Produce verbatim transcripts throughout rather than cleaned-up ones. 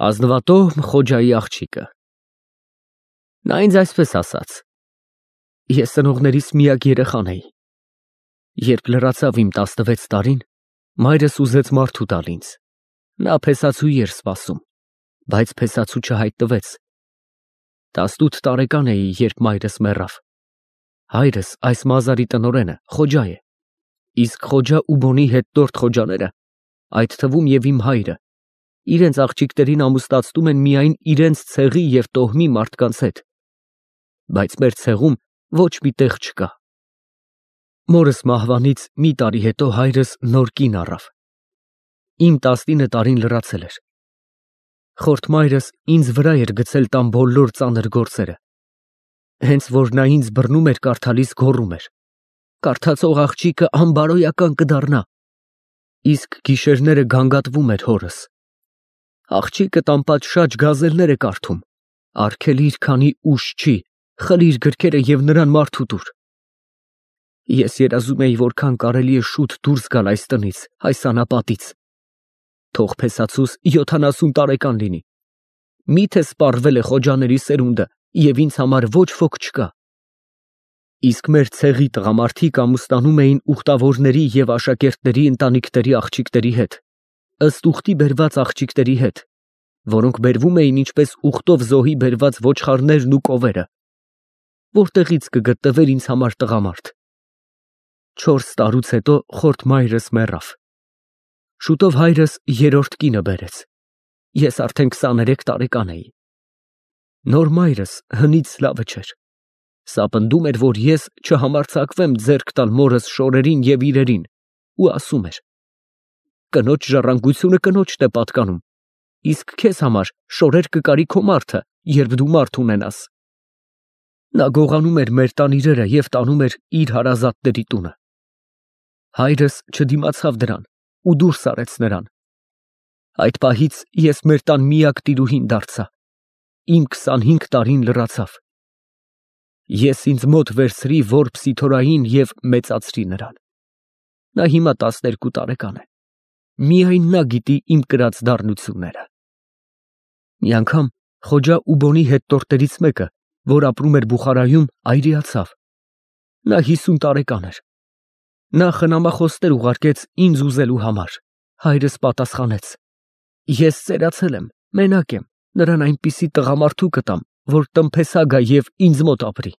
Ազնվատոհ Խոջայի աղջիկը։ Նա ինձ այսպես ասաց. ես ծնողներիս միակ երեխան էի։ Երբ լրացավ իմ տասնվեց տարին, մայրս ուզեց մարդու տալ ինձ։ Նա փեսացուի էր սպասում, բայց փեսացու չհայտնվեց։ տասնութ տարեկան էի, երբ մայրս մեռավ։ Հայրս, այս մազարի տնօրենը, Խոջա է, իսկ Խոջա ու Բոնի հետնորդ Խոջաները, այդ թվում և իմ հայրը, իրենց աղջիկներին ամուսնացնում են միայն իրենց ցեղի և տոհմի մարդկանց հետ, բայց մեր ցեղում ոչ մի տեղ չկա։ Մորս մահվանից մի տարի հետո հայրս նոր կին առավ։ Իմ տասնինը տարին լրացել էր։ Խորթ մայրս ինձ վրա էր գցել տան բոլոր ծանր գործերը։ Հենց որ նա ինձ բռնում էր կարդալիս, գոռում էր. «Կարդացող աղջիկը անբարոյական կդառնա», իսկ գիշերները գանգատվում էր հորս. «Աղջիկը անպատշաճ գազելներ է կարդում, արգելիր, քանի ուշ չի, խլիր գրքերը և նրան մարդու տուր»։ Ես երազում էի որքան կարելի է շուտ դուրս գալ այս տնից, այս անապատից։ Թող փեսացուս յոթանասուն տարեկան լինի։ Միթե սպառվել է Խոջաների սերունդը, և ինձ համար ոչ ոք չկա։ Իսկ մեր ցեղի տղամարդիկ ամուսնանում էին ուխտավորների և աշակերտների ընտանիքների աղջիկների հետ, ըստ ուխտի բերված աղջիկների հետ, որոնք բերվում էին ինչպես ուխտով զոհի բերված ոչխարներն ու կովերը։ Որտեղից կգտնվեր ինձ համար տղամարդ։ Չորս տարուց հետո խորթ մայրս մեռավ։ Շուտով հայրս երրորդ կինը բերեց։ Ես արդեն քսաներեք տարեկան էի։ Նոր մայրս հնից սլավը չէր։ Սա պնդում էր, որ ես չհամարձակվեմ ձեռք տալ մորս շորերին և իրերին, ու ասում էր. «Կնոջ ժառանգությունը կնոջն է պատկանում, իսկ քեզ համար շորեր կկարի քո մարդը, երբ դու մարդ ունենաս»։ Նա գողանում էր մեր տան իրերը և տանում էր իր հարազատների տունը։ Հայրս չդիմացավ դրան ու դուրս արեց նրան։ Այդ պահից ես մեր տան միակ տիրուհին դարձա։ Իմ քսանհինգ տարին լրացավ։ Ես ինձ մոտ վերցրի որբ Սիթորային և մեծացրի նրան։ Նա հիմա տասներկու տարեկան է։ Միայն նա գիտի իմ կրած դառնությունները։ Մի անգամ Խոջա ու Բոնի հետնորդներից մեկը, որ ապրում էր Բուխարայում, այրիացավ։ Նա հիսուն տարեկան էր։ Նա խնամախոսներ ուղարկեց ինձ ուզելու համար։ Հայրս պատասխանեց. «Ես ծերացել եմ, մենակ եմ, նրան այնպիսի տղամարդու կտամ, որ տնփեսա գա և ինձ մոտ ապրի»։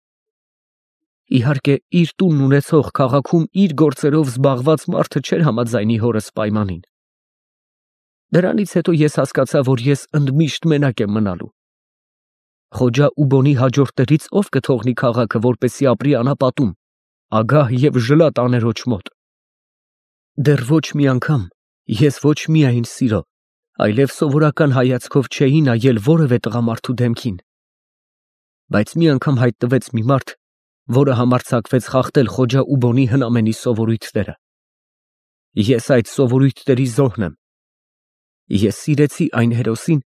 Իհարկե, իր տունն ունեցող, քաղաքում իր գործերով զբաղված մարդը չէր համաձայնի հորս պայմանին։ Դրանից հետո ես հասկացա, որ ես ընդմիշտ մենակ եմ մնալու։ Խոջա ու Բոնի հաջորդներից ով կթողնի քաղաքը, որպեսզի ապրի անապատում, ագահ և ժլատ աներոջ մոտ։ Դեռ ոչ մի անգամ ես ոչ միայն սիրո, այլև սովորական հայացքով չէի նայել որևէ տղամարդու դեմքին։ Բայց մի անգամ հայտնվեց մի մարդ, որը համարձակվեց խախտել Խոջա ու Բոնի հնամենի սովորույթները։ Ես այդ սովորույթների զոհն եմ։ Ես սիրեցի այն հերոսին,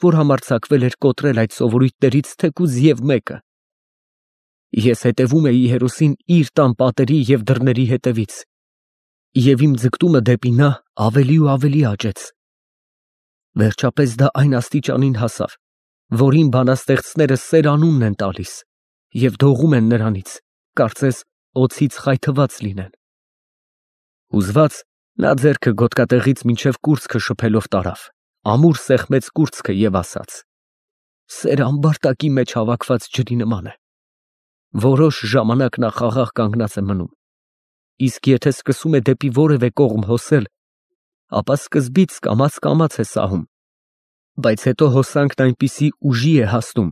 որ համարձակվել էր կոտրել այդ սովորույթներից թեկուզ և մեկը։ Ես հետևում էի հերոսին իր տան պատերի և դռների հետևից, և իմ ձգտումը դեպի նա ավելի ու ավելի աճեց։ Վերջապես դա այն աստիճանին հասավ, որ իմ բանաստեղծները սեր անունն են տալիս և դողում են նրանից, կարծես օձից խայթված լինեն։ Հուզված, նա ձեռքը գոտկատեղից մինչև կուրծքը շփելով տարավ, ամուր սեղմեց կուրծքը և ասաց. «Սերը ամբարտակի մեջ հավաքված ջրի նման է։ Որոշ ժամանակ նա խաղաղ կանգնած է մնում, իսկ եթե սկսում է դեպի որևէ կողմ հոսել, ապա սկզբից կամաց֊կամաց է սահում, բայց հետո հոսանքն այնպիսի ուժի է հասնում,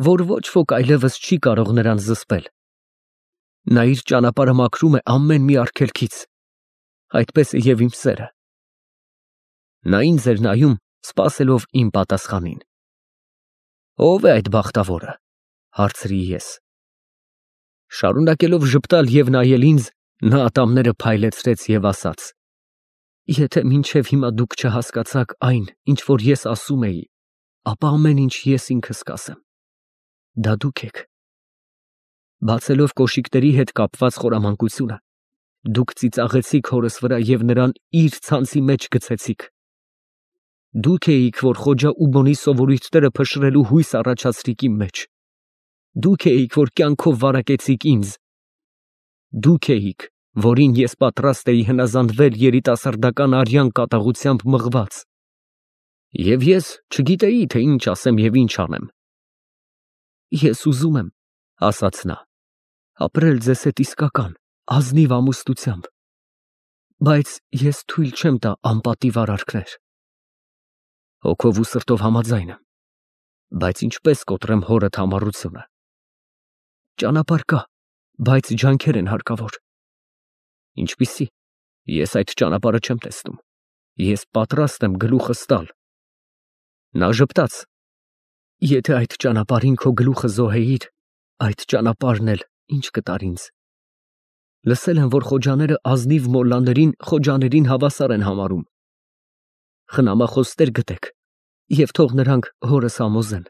որ ոչ ոք այլևս չի կարող նրան զսպել։ Նա իր ճանապարհը մաքրում է ամեն մի արգելքից, այդպես է և իմ սերը»։ Նա ինձ էր նայում, սպասելով իմ պատասխանին։ «Ո՞վ է այդ բախտավորը», հարցրի ես։ Շարունակելով ժպտալ և նայել ինձ, նա ատամները փայլեցրեց և ասաց. «Եթե մինչև հիմա դուք չհասկացաք այն, ինչ որ ես ասում էի, ապա ամեն ինչ ես ինքս կասեմ. դա դուք եք։ Բացելով կոշիկների հետ կապված խորամանկությունը, դուք ծիծաղեցիք հորս վրա և նրան իր ցանցի մեջ գցեցիք։ Դուք էիք, որ Խոջա Ուբոնի սովորույթները փշրելու հույս առաջացրիք իմ մեջ։ Դուք էիք, որ կյանքով վարակեցիք ինձ։ Դուք էիք, որին ես պատրաստ էի հնազանդվել երիտասարդական արյան կատաղությամբ մղված։ Եվ ես չգիտեի, թե ինչ ասեմ և ինչ անեմ։ Ես ուզում եմ, ասաց նա, ապրել ձեզ հետ իսկական, ազնիվ ամուսնությամբ, բայց ես թույլ չեմ տա անպատիվ արարքներ։ Հոգով ու սրտով համաձայն եմ, բայց ինչպես կոտրեմ հորդ համառությունը։ Ճանապարհ կա, բայց ջանքեր են հարկավոր։ Ինչպիսի՞, ես այդ ճանապարհը չեմ տեսնում։ Ես պատրաստ եմ գլուխս տալ։ Նա ժպտաց. Եթե այդ ճանապարհին քո գլուխը զոհեիր, այդ ճանապարհն էլ ինչ կտար ինձ։ Լսել եմ, որ խոջաները ազնիվ մոլլաներին խոջաներին հավասար են համարում։ Խնամախոսներ գտեք և թող նրանք հորս համոզեն։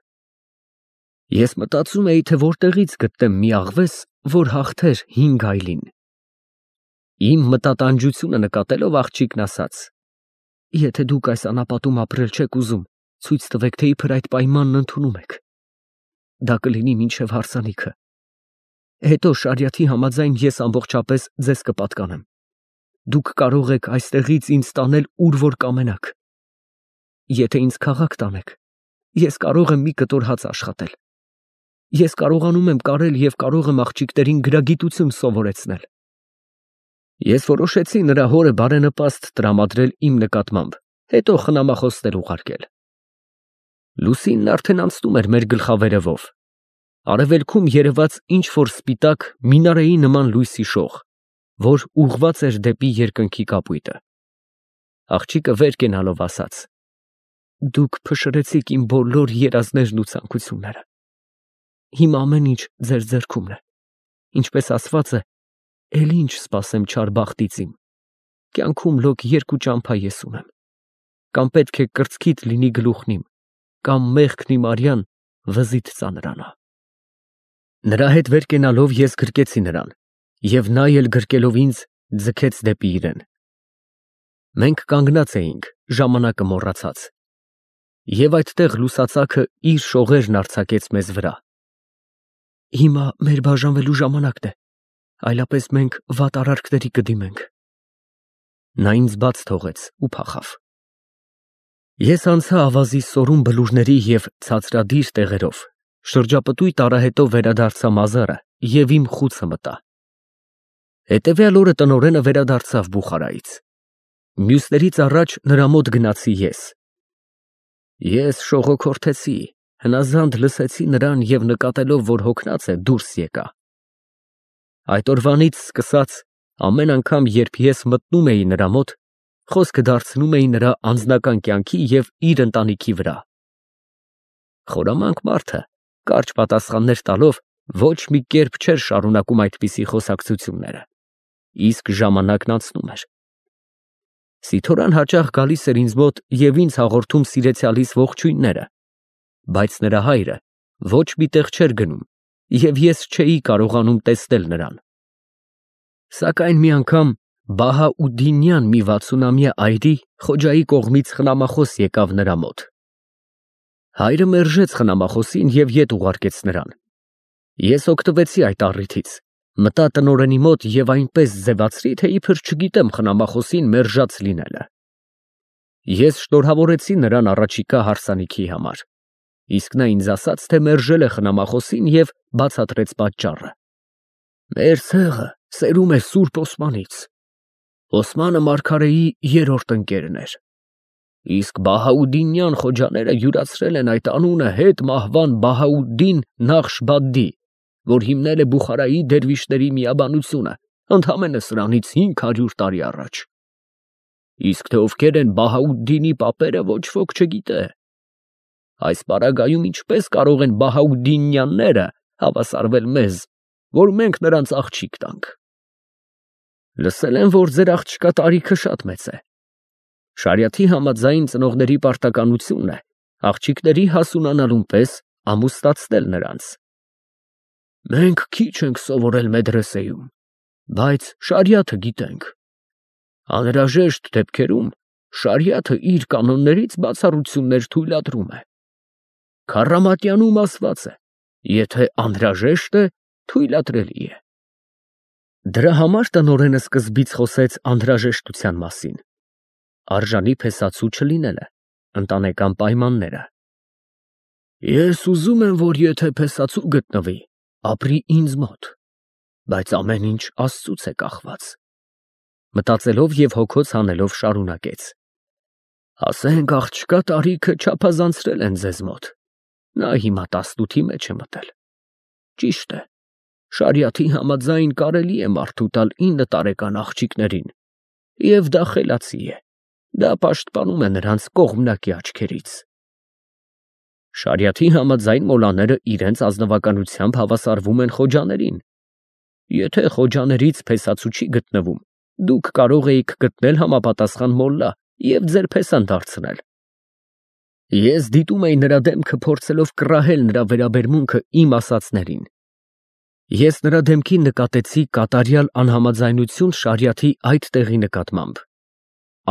Ես մտածում էի, թե որտեղից գտնեմ մի աղվես, որ հաղթեր հինգ այլին։ Իմ մտատանջությունը նկատելով աղջիկն ասաց. Եթե դուք այս անապատում ապրել չեք ուզում, ցույց տվեք, թե իբր այդ պայմանն ընդունում եք։ Դա կլինի մինչև հարսանիքը։ Հետո շարիաթի համաձայն ես ամբողջապես ձեզ կպատկանեմ։ Դուք կարող եք այստեղից ինձ տանել ուր որ կամենաք։ Եթե ինձ քաղաք տանեք, ես կարող եմ մի կտոր հաց աշխատել։ Ես կարողանում եմ կարել և կարող եմ աղջիկներին գրագիտություն սովորեցնել։ Ես որոշեցի նրա հորը բարենպաստ տրամադրել իմ նկատմամբ, հետո խնամախոսներ ուղարկել։ Լուսինն արդեն անցնում էր մեր գլխավերևով։ Արևելքում երևաց ինչ-որ սպիտակ մինարեի նման լույսի շող, որ ուղղված էր դեպի երկնքի կապույտը։ Աղջիկը վեր կենալով ասաց. Դուք փշրեցիք իմ բոլոր երազներն ու ցանկությունները։ Հիմա ամեն ինչ ձեր ձեռքումն է։ Ինչպես ասված է, էլ ինչ սպասեմ չար բախտից իմ։ Կյանքում լոկ երկու ճամփա ես ունեմ։ Կամ պետք է կրծքիդ լինի գլուխն իմ, կամ մեղքն իմ արյան վզիդ ծանրանա։ Նրա հետ վեր կենալով ես գրկեցի նրան, և նա էլ գրկելով ինձ ձգեց դեպի իրեն։ Մենք կանգնած էինք, ժամանակը մոռացած։ Եվ այդտեղ լուսացակը իր շողերն արձակեց մեզ վրա։ Հիմա մեր բաժանվելու ժամանակն է, այլապես մենք վատ արարքների կդիմենք։ Նա ինձ բաց թողեց ու փախավ։ Ես անցա ավազի սորուն բլուրների և ցածրադիր տեղերով, շրջապտույտ արահետով վերադարձա մազարը և իմ խուցը մտա։ Հետևյալ օրը տնօրենը վերադարձավ Բուխարայից։ Մյուսներից առաջ նրա մոտ գնացի ես։ Ես շողոքորթեցի, հնազանդ լսեցի նրան և նկատելով, որ հոգնած է, դուրս եկա։ Այդ օրվանից սկսած ամեն անգամ, երբ ես մտնում էի նրա մոտ, խոսքը դարձնում էի նրա անձնական կյանքի և իր ընտանիքի վրա։ Խորամանկ մարդը, կարճ պատասխաններ տալով, ոչ մի կերպ չէր շարունակում այդպիսի խոսակցությունները, իսկ ժամանակն անցնում էր։ Սիթորան հաճախ գալիս էր ինձ մոտ և ինձ հաղորդում սիրեցյալիս ողջույնները, բայց նրա հայրը ոչ մի տեղ չէր գնում, և ես չէի կարողանում տեսնել նրան։ Սակայն մի անգամ Բահաուդդինյան մի վաթսունամյա այրի Խոջայի կողմից խնամախոս եկավ նրա մոտ։ Հայրը մերժեց խնամախոսին և ետ ուղարկեց նրան։ Ես օգտվեցի այդ առիթից, մտա տնօրենի մոտ և այնպես ձևացրի, թե իբր չգիտեմ խնամախոսին մերժած լինելը։ Ես շնորհավորեցի նրան առաջիկա հարսանիքի համար, իսկ նա ինձ ասաց, թե մերժել է խնամախոսին և բացատրեց պատճառը։ Մեր ցեղը սերում է Սուրբ Օսմանից։ Օսմանը մարգարեի երրորդ ընկերն էր, իսկ Բահաուդդինյան խոջաները յուրացրել են այդ անունը հետ մահվան Բահաուդդին Նախշբադի, որ հիմնել է Բուխարայի դերվիշների միաբանությունը, ընդամենը սրանից հինգ հարյուր տարի առաջ։ Իսկ թե ովքեր են Բահաուդդինի պապերը, ոչ ոք չգիտե։ Այս պարագայում ինչպես կարող են Բահաուդդինյանները հավասարվել մեզ, որ մենք նրանց աղջիկ տանք։ Լսել եմ, որ ձեր աղջկա տարիքը շատ մեծ է։ Շարիաթի համաձայն ծնողների պարտականությունն է աղջիկների հասունանալուն պես ամուսնացնել նրանց։ Մենք քիչ ենք սովորել մեդրեսեում, բայց շարիաթը գիտենք։ Անհրաժեշտ դեպքերում շարիաթը իր կանոններից բացառություններ թույլատրում է։ Քարամատյանում ասված է. եթե անհրաժեշտ է, թույլատրելի է։ Դրա համար տնօրենը սկզբից խոսեց անհրաժեշտության մասին։ Արժանի փեսացու չլինելը, ընտանեկան պայմանները։ Ես ուզում եմ, որ եթե փեսացու գտնվի, ապրի ինձ մոտ, բայց ամեն ինչ Աստծուց է կախված։ Մտածելով և հոգոց հանելով շարունակեց. ասենք աղջկա տարիքը չափազանցրել են ձեզ մոտ, նա հիմա տասնութի մեջ է մտել։ Ճիշտ է, շարիաթի համաձայն կարելի է մարդու տալ ինը տարեկան աղջիկներին, և դա խելացի է, դա պաշտպանում է նրանց կողմնակի աչքերից։ Շարիաթի համաձայն մոլաները իրենց ազնվականությամբ հավասարվում են խոջաներին։ Եթե խոջաներից փեսացու չի գտնվում, դուք կարող էիք գտնել համապատասխան մոլլա և ձեր փեսան դարձնել։ Ես դիտում էի նրա դեմքը, փորձելով կռահել նրա վերաբերմունքը իմ ասածներին։ Ես նրա դեմքին նկատեցի կատարյալ անհամաձայնություն շարիաթի այդ տեղի նկատմամբ։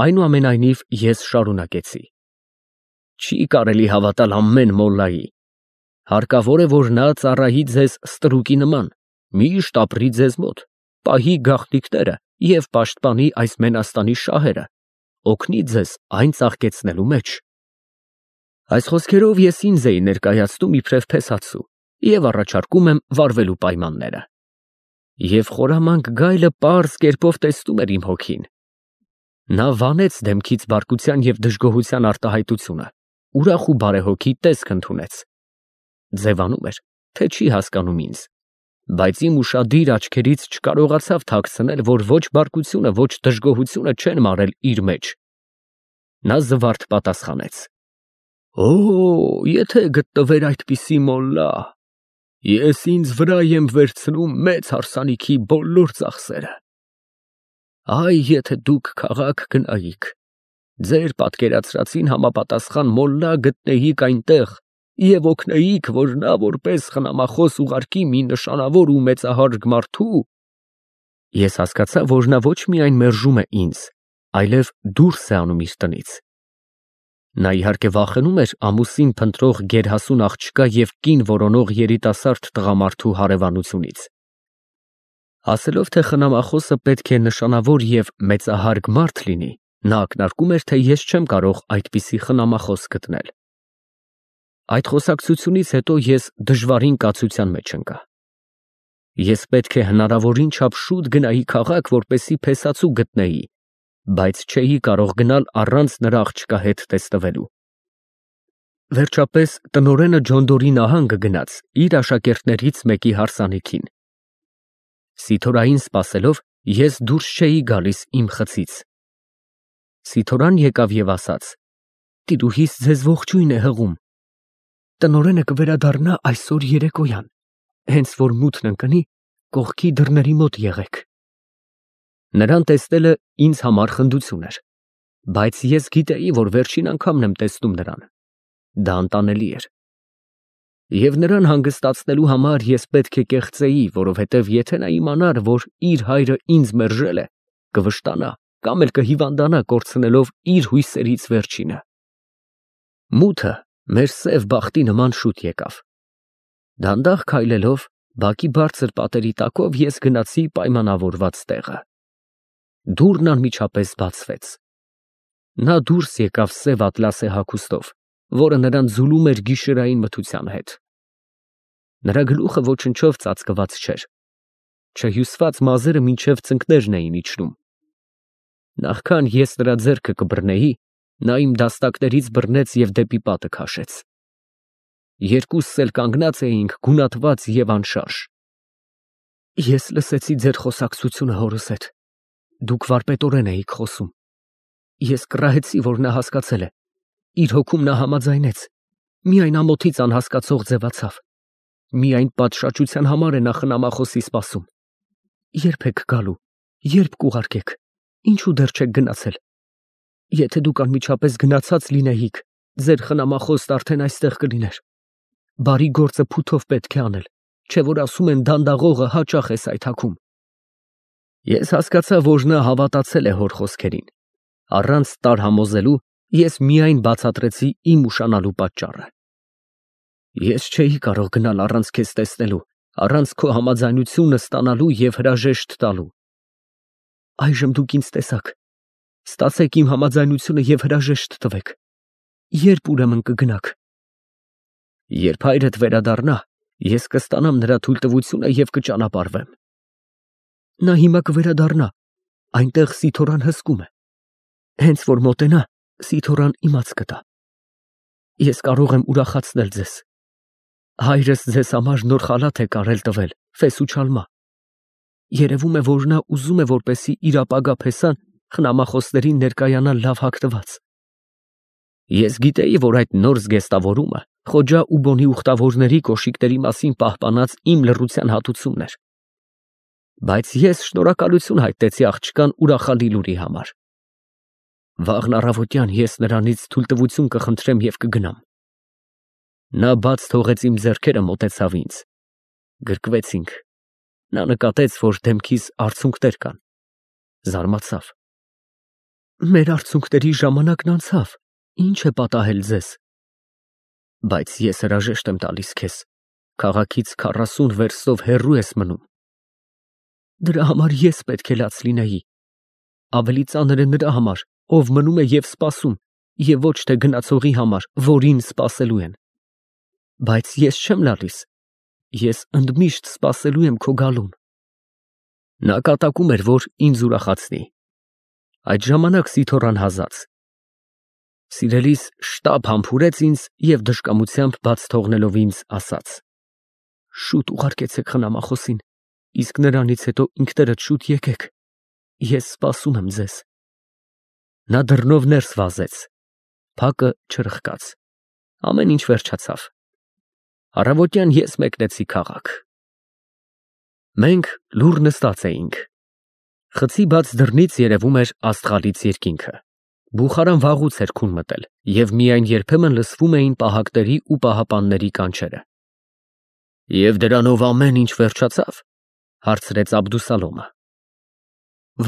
Այնուամենայնիվ ես շարունակեցի. Չի կարելի հավատալ ամեն մոլլայի։ Հարկավոր է, որ նա ծառայի ձեզ ստրուկի նման, միշտ ապրի ձեզ մոտ, պահի գաղտնիքները և պաշտպանի այս մենաստանի շահերը, օգնի ձեզ այն ծաղկեցնելու մեջ։ Այս խոսքերով ես ինձ էի ներկայացնում իբրև փեսացու և առաջարկում եմ վարվելու պայմանները։ Եվ խորամանկ գայլը պարզ կերպով տեսնում էր իմ հոգին։ Նա վանեց դեմքից բարկության և դժգոհության արտահայտությունը, ուրախ ու բարեհոգի տեսք ընդունեց։ Ձևանում էր, թե չի հասկանում ինձ, բայց իմ ուշադիր աչքերից չկարողացավ թաքցնել, որ ոչ բարկությունը, ոչ դժգոհությունը չեն մարել իր մեջ։ Նա զվարթ պատասխանեց. Օ, եթե գտնվեր այդպիսի մոլլա, ես ինձ վրա եմ վերցնում մեծ հարսանիքի բոլոր ծախսերը։ Այ եթե դուք քաղաք գնայիք, ձեր պատկերացրածին համապատասխան մոլլա գտնեիք այնտեղ և օգնեիք, որ նա որպես խնամախոս ուղարկի մի նշանավոր ու մեծահարգ մարդու, ես հասկացա, որ նա ոչ միայն մերժում է ինձ, այլև դուրս է անում իր տնից։ Նա իհարկե վախենում էր ամուսին փնտրող գերհասուն աղջկա և կին որոնող երիտասարդ տղամարդու հարևանությունից։ Ասելով, թե խնամախոսը պետք է նշանավոր և մեծահարգ մարդ լինի, նա ակնարկում էր, թե ես չեմ կարող այդպիսի խնամախոս գտնել։ Այդ խոսակցությունից հետո ես դժվարին կացության մեջ ընկա։ Ես պետք է հնարավորին չափ շուտ գնայի քաղաք, որպեսզի փեսացու գտնեի, բայց չէի կարող գնալ առանց նրա աղջկա հետ տեսնվելու։ Վերջապես տնօրենը Ջոնդորի նահանգը գնաց իր աշակերտներից մեկի հարսանիքին։ Սիթորային սպասելով ես դուրս չէի գալիս իմ խցից։ Սիթորան եկավ և ասաց. տիրուհիս ձեզ ողջույն է հղում։ Տնօրենը կվերադառնա այսօր երեկոյան, հենց որ մութն ընկնի, կողքի դռների մոտ եղեք։ Նրան տեսնելը ինձ համար խնդություն էր, բայց ես գիտեի, որ վերջին անգամն եմ տեսնում նրան։ Դա անտանելի էր։ Եվ նրան հանգստացնելու համար ես պետք է կեղծեի, որովհետև եթե նա իմանար, որ իր հայրը ինձ մերժել է, կվշտանա կամ էլ կհիվանդանա կորցնելով իր հույսերից վերջինը։ Մութը մեր սև բախտի նման շուտ եկավ։ Դանդաղ քայլելով, բակի բարձր պատերի տակով ես գնացի պայմանավորված տեղը։ Դուռն անմիջապես բացվեց։ Նա դուրս եկավ սև ատլասե հագուստով, որը նրան ձուլում էր գիշերային մթության հետ։ Նրա գլուխը ոչնչով ծածկված չէր։ Չհյուսված մազերը մինչև ծնկներն էին իջնում։ Նախքան ես նրա ձեռքը կբռնեի, նա իմ դաստակներից բռնեց և դեպի պատը քաշեց։ Երկուսս էլ կանգնած էինք գունատված և անշարժ։ Ես լսեցի ձեր խոսակցությունը հորս հետ։ Դուք վարպետորեն էիք խոսում։ Ես կռահեցի, որ նա հասկացել է։ Իր հոգում նա համաձայնեց։ Միայն ամոթից անհասկացող ձևացավ։ Միայն պատշաճության համար է նա խնամախոսի սպասում։ Ե՞րբ եք գալու, ե՞րբ կուղարկեք, ինչու դեռ չեք գնացել։ Եթե դուք անմիջապես գնացած լինեիք, ձեր խնամախոսն արդեն այստեղ կլիներ։ Բարի գործը փութով պետք է անել, չէ որ ասում են դանդաղողը հաճախ է սայթաքում։ Ես հասկացա, որ նա հավատացել է հոր խոսքերին։ Առանց տարհամոզելու ես միայն բացատրեցի իմ ուշանալու պատճառը։ Ես չէի կարող գնալ առանց քեզ տեսնելու, առանց քո համաձայնությունը ստանալու և հրաժեշտ տալու։ Այժմ դուք ինձ տեսաք, ստացեք իմ համաձայնությունը և հրաժեշտ տվեք։ Ե՞րբ ուրեմն կգնաք։ Երբ հայրդ վերադառնա, ես կստանամ նրա թույլտվությունը և կճանապարհվեմ։ Նա հիմա կվերադառնա, այնտեղ Սիթոռան հսկում է։ Հենց որ մոտենա, Սիթոռան իմաց կտա։ Ես կարող եմ ուրախացնել ձեզ։ Հայրս ձեզ համար նոր խալաթ է կարել տվել, ֆես ու չալմա։ Երևում է, որ նա ուզում է, որպեսզի իր ապագա փեսան խնամախոսներին ներկայանա լավ հագնված։ Ես գիտեի, որ այդ նոր զգեստավորումը Խոջա ու Բոնի ուխտավորների կոշիկների մասին պահպանած իմ լռության հատուցումն էր։ Բայց ես շնորհակալություն հայտնեցի աղջկան ուրախալի լուրի համար։ Վաղն առավոտյան ես նրանից թույլտվություն կխնդրեմ և կգնամ։ Նա բաց թողեց իմ ձեռքերը, մոտեցավ ինձ։ Գրկվեցինք։ Նա նկատեց, որ դեմքիս արցունքներ կան։ Զարմացավ։ Մեր արցունքների ժամանակն անցավ, ինչ է պատահել ձեզ։ Բայց ես հրաժեշտ եմ տալիս քեզ, քաղաքից քառասուն վերստով հեռու ես մնում։ Դրա համար ես պետք է լաց լինեի։ Ավելի ծանր է նրա համար, ով մնում է և սպասում, և ոչ թե գնացողի համար, որին սպասելու են։ Բայց ես չեմ լալիս, ես ընդմիշտ սպասելու եմ քո գալուն։ Նա կատակում էր, որ ինձ ուրախացնի։ Այդ ժամանակ Սիթոռան հազաց։ Սիրելիս շտապ համբուրեց ինձ և դժկամությամբ բաց թողնելով ինձ ասաց. Շուտ ուղարկեցեք խնամախոսին, իսկ նրանից հետո ինքներդ շուտ եկեք, ես սպասում եմ ձեզ։ Նա դռնով ներս վազեց, փակը չրխկաց, ամեն ինչ վերջացավ։ Առավոտյան ես մեկնեցի քաղաք։ Մենք լուռ նստած էինք։ Խցի բաց դռնից երևում էր Աստղալից երկինքը։ Բուխարան վաղուց էր քուն մտել, և միայն երբեմն լսվում էին պահակների ու պահապանների կանչերը։ Եվ դրանով ամեն ինչ վերջացավ, հարցրեց Աբդուսալոմը։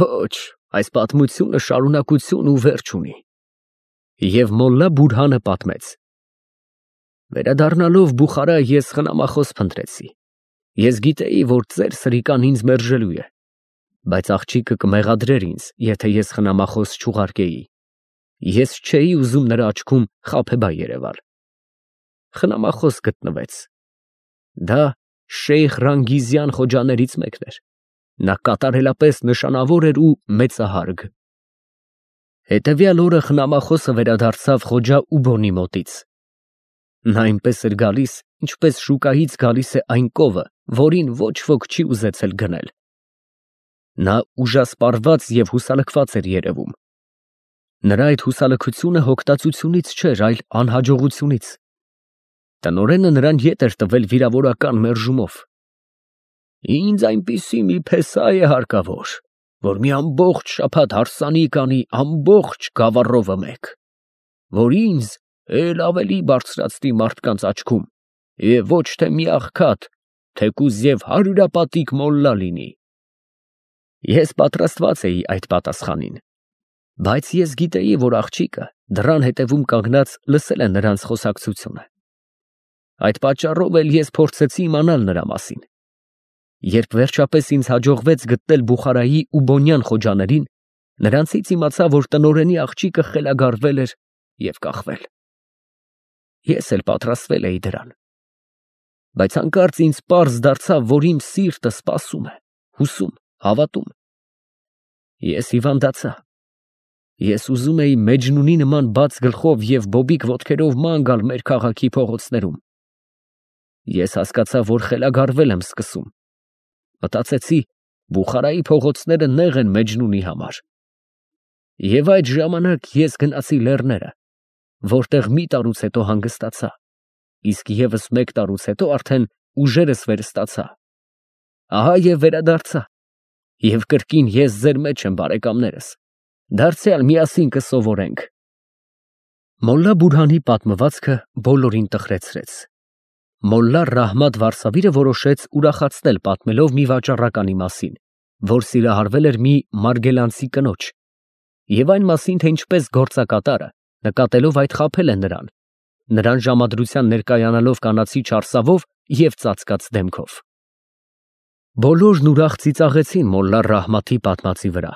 Ոչ, այս պատմությունը շարունակություն ու վերջ ունի։ Եվ Մոլլա Բուրհանը պատմեց. Վերադառնալով Բուխարա ես խնամախոս փնտրեցի։ Ես գիտեի, որ ծեր սրիկան ինձ մերժելու է, բայց աղջիկը կմեղադրեր ինձ, եթե ես խնամախոս չուղարկեի։ Ես չէի ուզում նրա աչքում խաբեբա երևալ։ Խնամախոս գտնվեց։ Դա Շեյխ Ռանգիզյան խոջաներից մեկն էր։ Նա կատարելապես նշանավոր էր ու մեծահարգ։ Հետևյալ օրը խնամախոսը վերադարձավ Խոջա Ուբոնի մոտից։ Նա այնպես էր գալիս, ինչպես շուկայից գալիս է այն կովը, որին ոչ ոք չի ուզեցել գնել։ Նա ուժասպառված և հուսալքված էր երևում։ Նրա այդ հուսալքությունը հոգտածությունից չէր, այլ անհաջողությունից։ Տնօրենը նրան ետ էր տվել վիրավորական մերժումով։ Ինձ այնպիսի մի փեսա է հարկավոր, որ մի ամբողջ շաբաթ հարսանիք անի ամբողջ գավառովը մեկ, որ ինձ էլ ավելի բարձրացնի մարդկանց աչքում, և ոչ թե մի աղքատ, թեկուզ և հարյուրապատիկ մոլլա լինի։ Ես պատրաստված էի այդ պատասխանին, բայց ես գիտեի, որ աղջիկը դռան հետևում կանգնած լսել է նրանց խոսակցությունը։ Այդ պատճառով էլ ես փորձեցի իմանալ նրա մասին։ Երբ վերջապես ինձ հաջողվեց գտնել Բուխարայի ու Բոնյան խոջաներին, նրանցից իմացա, որ տնօրենի աղջիկը խելագարվել էր և կախվել։ Ես էլ պատրաստվել էի դրան։ Բայց հանկարծ ինձ պարզ դարձավ, որ իմ սիրտը սպասում է, հուսում, հավատում։ Ես հիվանդացա։ Ես ուզում էի Մեջնունի նման բաց գլխով և բոբիկ ոտքերով ման գալ մեր քաղաքի փողոցներում։ Ես հասկացա, որ խելագարվել եմ սկսում։ Մտածեցի, Բուխարայի փողոցները նեղ են Մեջնունի համար։ Եվ այդ ժամանակ ես գնացի լեռները, որտեղ մի տարուց հետո հանգստացա, իսկ ևս մեկ տարուց հետո արդեն ուժերս վերստացա։ Ահա և վերադարձա, և կրկին ես ձեր մեջ եմ, բարեկամներս, դարձյալ միասին կսովորենք։ Մոլլա Բուրհանի պատմվածքը բոլորին տխրեցրեց։ Մոլլա Ռահմաթ վարսավիրը որոշեց ուրախացնել պատմելով մի վաճառականի մասին, որ սիրահարվել էր մի մարգելանցի կնոջ, Եվ այն մասին, թե ինչպես գործակատարը, նկատելով այդ, խաբել է նրան, նրան ժամադրության ներկայանալով կանացի չարսավով և ծածկած դեմքով։ Բոլորն ուրախ ծիծաղեցին մոլլա Ռահմաթի պատմածի վրա։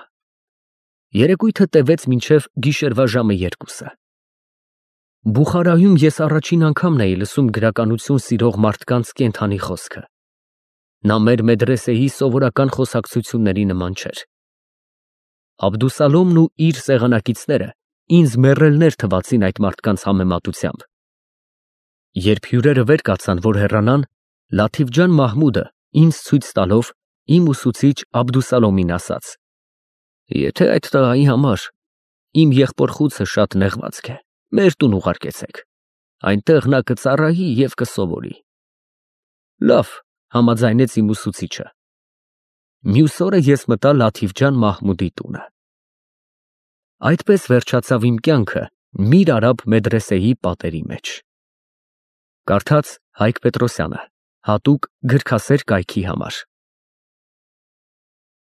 Երեկույթը տևեց մինչև գիշերվա ժամը երկուսը։ Բուխարայում ես առաջին անգամն էի լսում գրականություն սիրող մարդկանց կենդանի խոսքը։ Նա մեր մեդրեսեի սովորական խոսակցությունների նման չէր։ Աբդուսալոմն ու իր սեղանակիցները ինձ մեռելներ թվացին այդ մարդկանց համեմատությամբ։ Երբ հյուրերը վեր կացան, որ հեռանան, Լաթիֆ ջան Մահմուդը ինձ ցույց տալով իմ ուսուցիչ Աբդուսալոմին ասաց. «Եթե այդ տղայի համար իմ եղբոր խուցը շատ նեղվածք է, մեր տուն ուղարկեցեք, այնտեղ նա կծառայի և կսովորի»։ Լավ, համաձայնեց իմ ուսուցիչը։ Մյուս օրը ես մտա Լաթիֆ ջան Մահմուդի տունը։ Այդպես վերջացավ իմ կյանքը Միր Արաբ մեդրեսեի պատերի մեջ։ Կարդաց Հայկ Պետրոսյանը, հատուկ գրքասեր կայքի համար։